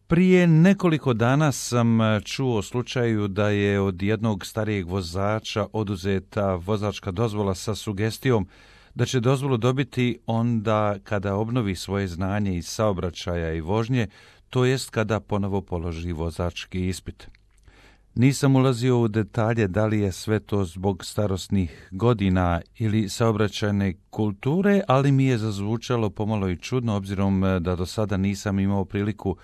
Prije nekoliko dana sam čuo o slučaju da je od jednog starijeg vozača oduzeta vozačka dozvola sa sugestijom da će dozvolu dobiti onda kada obnovi svoje znanje iz saobraćaja i vožnje, to jest kada ponovo položi vozački ispit. Nisam ulazio u detalje da li je sve to zbog starosnih godina ili saobraćajne kulture, ali mi je zazvučalo pomalo i čudno obzirom da do sada nisam imao priliku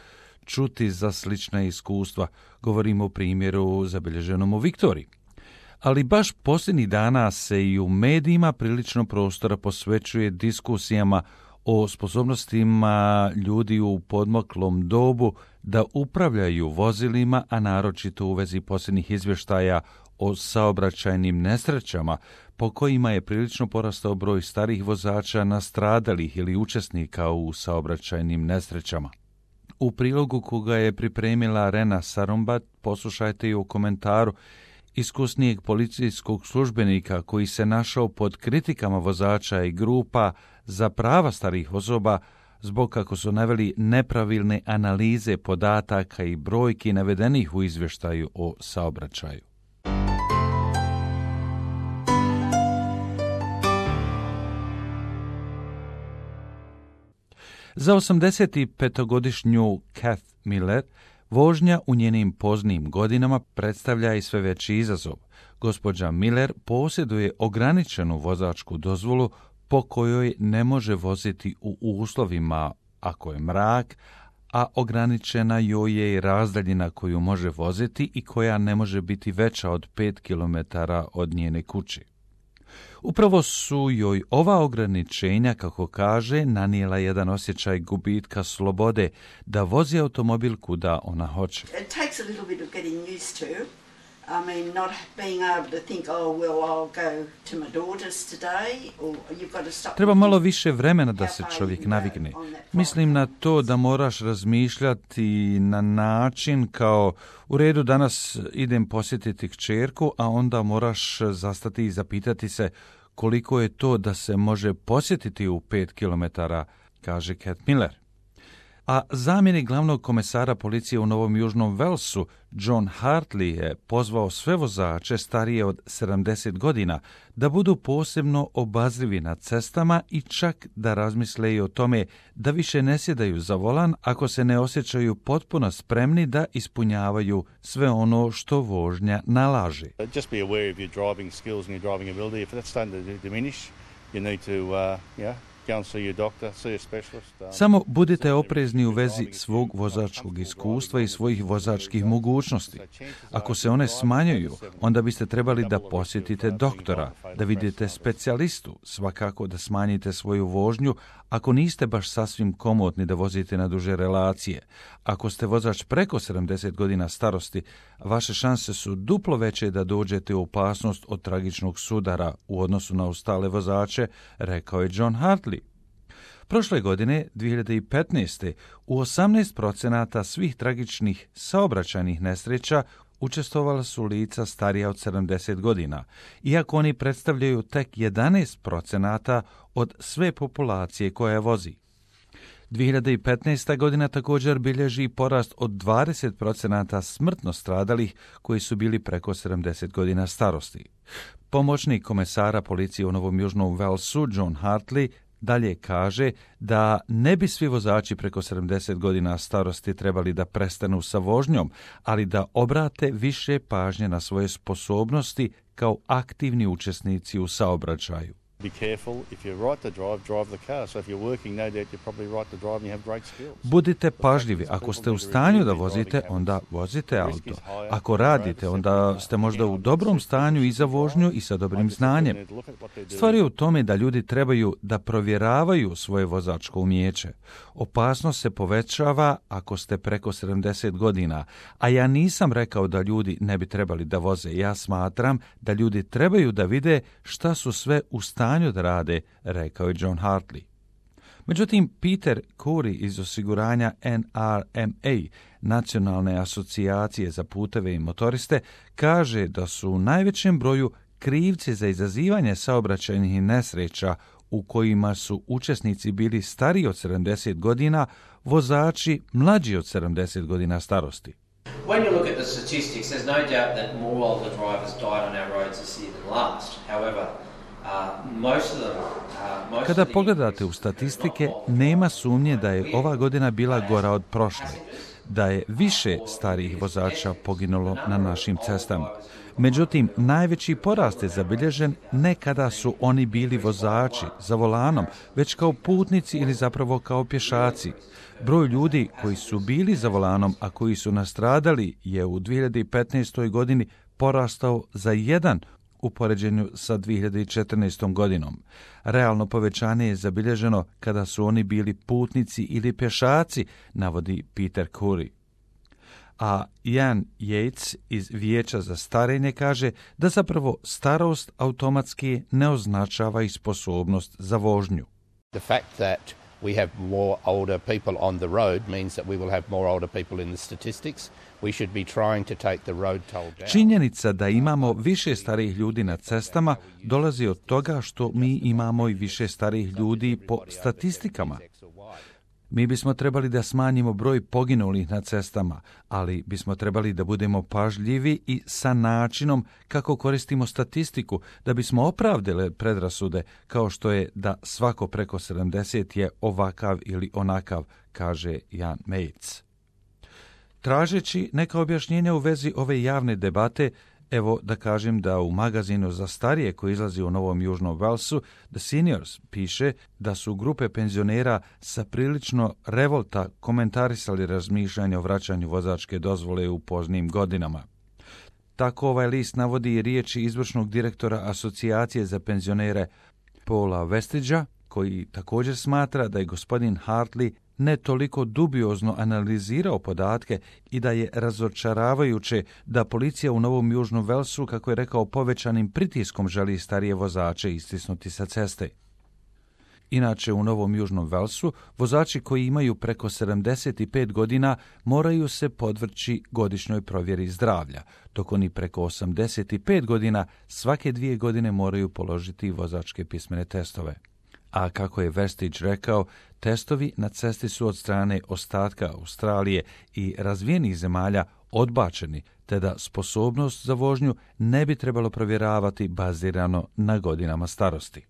čuti za slična iskustva. Govorimo o primjeru zabilježenom u Viktoriji. Ali baš posljednjih dana se i u medijima prilično prostora posvećuje diskusijama o sposobnostima ljudi u podmoklom dobu da upravljaju vozilima, a naročito u vezi posljednjih izvještaja o saobraćajnim nesrećama, po kojima je prilično porastao broj starih vozača nastradalih ili učesnika u saobraćajnim nesrećama. U prilogu koga je pripremila Rena Sarumbat poslušajte i u komentaru iskusnijeg policijskog službenika koji se našao pod kritikama vozača i grupa za prava starih osoba zbog, kako su naveli, nepravilne analize podataka i brojki navedenih u izvještaju o saobraćaju. Za 85-godišnju Kath Miller vožnja u njenim poznim godinama predstavlja i sve veći izazov. Gospođa Miller posjeduje ograničenu vozačku dozvolu po kojoj ne može voziti u uslovima ako je mrak, a ograničena joj je i razdaljina koju može voziti i koja ne može biti veća od 5 km od njene kuće. Upravo su joj ova ograničenja, kako kaže, nanijela jedan osjećaj gubitka slobode da vozi automobil kuda ona hoće. It takes a little bit of getting used to. I mean, not being able to think, oh, well, I'll go to my daughter's today, or you've got to stop. Treba malo više vremena da se čovjek navikne. Mislim na to da moraš razmišljati na način kao, u redu, danas idem posjetiti kćerku, a onda moraš zastati i zapitati se koliko je to da se može posjetiti u 5 km, kaže Kath Miller. A zamjenik glavnog komesara policije u Novom Južnom Walesu, John Hartley, je pozvao sve vozače starije od 70 godina da budu posebno obazrivi na cestama i čak da razmisle i o tome da više ne sjedaju za volan ako se ne osjećaju potpuno spremni da ispunjavaju sve ono što vožnja nalaže. Just be aware of your driving skills and your driving ability. If that's starting to diminish, you need to, Samo budite oprezni u vezi svog vozačkog iskustva i svojih vozačkih mogućnosti. Ako se one smanjuju, onda biste trebali da posjetite doktora, da vidite specijalistu, svakako da smanjite svoju vožnju ako niste baš sasvim komotni da vozite na duže relacije. Ako ste vozač preko 70 godina starosti, vaše šanse su duplo veće da dođete u opasnost od tragičnog sudara u odnosu na ostale vozače, rekao je John Hartley. Prošle godine, 2015. u 18% svih tragičnih saobraćajnih nesreća učestvovala su lica starija od 70 godina, iako oni predstavljaju tek 11% od sve populacije koja vozi. 2015. godina također bilježi porast od 20% smrtno stradalih koji su bili preko 70 godina starosti. Pomoćnik komesara policije u Novom Južnom Walesu, John Hartley, dalje kaže da ne bi svi vozači preko 70 godina starosti trebali da prestanu sa vožnjom, ali da obrate više pažnje na svoje sposobnosti kao aktivni učesnici u saobraćaju. Be careful, if you're right to drive, drive the car. So if you're working, no doubt you're probably right to drive and you have great skills. Budite pažljivi. Ako ste u stanju da vozite, onda vozite auto. Ako radite, onda ste možda u dobrom stanju i za vožnju i sa dobrim znanjem. Stvar je u tome da ljudi trebaju da provjeravaju svoje vozačko umijeće. Opasnost se povećava ako ste preko 70 godina, a ja nisam rekao da ljudi ne bi trebali da voze. Ja smatram da ljudi trebaju da vide šta su sve u stanju da rade, rekao je John Hartley. Međutim, Peter Curry iz osiguranja NRMA, Nacionalne asocijacije za puteve i motoriste, kaže da su u najvećem broju krivci za izazivanje saobraćajnih nesreća u kojima su učesnici bili stariji od 70 godina, vozači mlađi od 70 godina starosti. When you look at the statistics, there's no doubt that more older drivers died on our roads this year than last. However, most of them... Kada pogledate u statistike, nema sumnje da je ova godina bila gora od prošle, da je više starijih vozača poginulo na našim cestama. Međutim, najveći porast je zabilježen ne kada su oni bili vozači za volanom, već kao putnici ili zapravo kao pješaci. Broj ljudi koji su bili za volanom, a koji su nastradali, je u 2015. godini porastao za 1 u poređenju sa 2014. godinom. Realno povećanje je zabilježeno kada su oni bili putnici ili pješaci, navodi Peter Curry. A Ian Yates iz Vijeća za starenje kaže da zapravo starost automatski ne označava i sposobnost za vožnju. The fact that we have more older people on the road means that we will have more older people in the statistics. We should be trying to take the road toll down. Činjenica da imamo više starijih ljudi na cestama dolazi od toga što mi imamo i više starijih ljudi po statistikama. Mi bismo trebali da smanjimo broj poginulih na cestama, ali bismo trebali da budemo pažljivi i sa načinom kako koristimo statistiku da bismo opravdali predrasude kao što je da svako preko 70 je ovakav ili onakav, kaže Jan Mates. Tražeći neka objašnjenja u vezi ove javne debate, evo da kažem da u magazinu za starije koji izlazi u Novom Južnom Walesu, The Seniors, piše da su grupe penzionera sa prilično revolta komentarisali razmišljanje o vraćanju vozačke dozvole u poznim godinama. Tako ovaj list navodi riječi izvršnog direktora Asocijacije za penzionere Paula Westridgea, koji također smatra da je gospodin Hartley ne toliko dubiozno analizirao podatke i da je razočaravajuće da policija u Novom Južnom Walesu, kako je rekao, povećanim pritiskom želi starije vozače istisnuti sa ceste. Inače, u Novom Južnom Walesu vozači koji imaju preko 75 godina moraju se podvrći godišnjoj provjeri zdravlja, dok oni preko 85 godina svake 2 godine moraju položiti vozačke pismene testove. A kako je Westridge rekao, testovi na cesti su od strane ostatka Australije i razvijenih zemalja odbačeni, te da sposobnost za vožnju ne bi trebalo provjeravati bazirano na godinama starosti.